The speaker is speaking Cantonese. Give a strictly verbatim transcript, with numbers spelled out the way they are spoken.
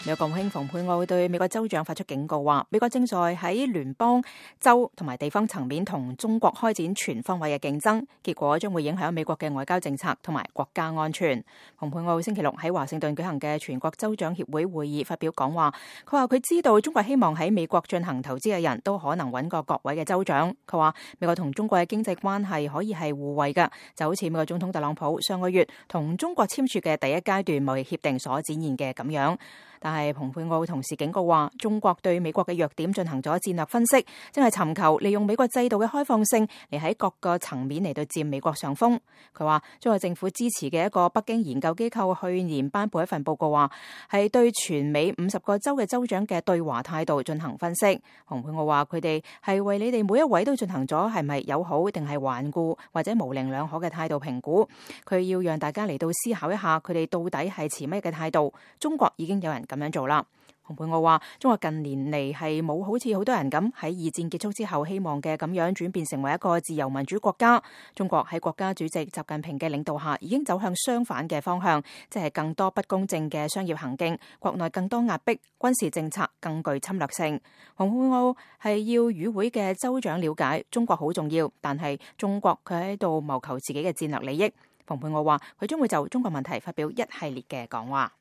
美國國務卿蓬佩奧對美國州長發出警告，話美國正在喺聯邦、州同埋地方層面同中國開展全方位嘅競爭，結果將會影響美國嘅外交政策同埋國家安全。蓬佩奧星期六喺華盛頓舉行嘅全國州長協會會議發表講話，佢話佢知道中國希望喺美國進行投資嘅人都可能揾個各位嘅州長。佢話美國同中國嘅經濟關係可以係互惠嘅，就好似美國總統特朗普上個月同中國簽署嘅第一階段貿易協定所展現嘅咁樣。但係蓬佩奧同時警告話，中國對美國嘅弱點進行咗戰略分析，正係尋求利用美國制度嘅開放性嚟喺各個層面嚟到佔美國上風。佢話中國政府支持嘅一個北京研究機構去年頒布一份報告，話係對全美五十個州嘅州長嘅對華態度進行分析。蓬佩奧話佢哋係為你哋每一位都進行咗係咪友好定係頑固或者模棱兩可嘅態度評估。佢要讓大家嚟到思考一下佢哋到底係持乜嘅態度。中國已經有人咁樣做啦。蓬佩奧話中國近年嚟係冇好似好多人咁喺二戰結束之後希望嘅咁樣轉變成為一個自由民主國家。中國喺國家主席習近平嘅領導下已經走向相反嘅方向，即係更多不公正嘅商業行徑，國內更多壓迫，軍事政策更具侵略性。蓬佩奧係要與會嘅州長了解中國好重要，但係中國佢喺度謀求自己嘅戰略利益。蓬佩奧話佢將會就中國問題發表一系列嘅講話。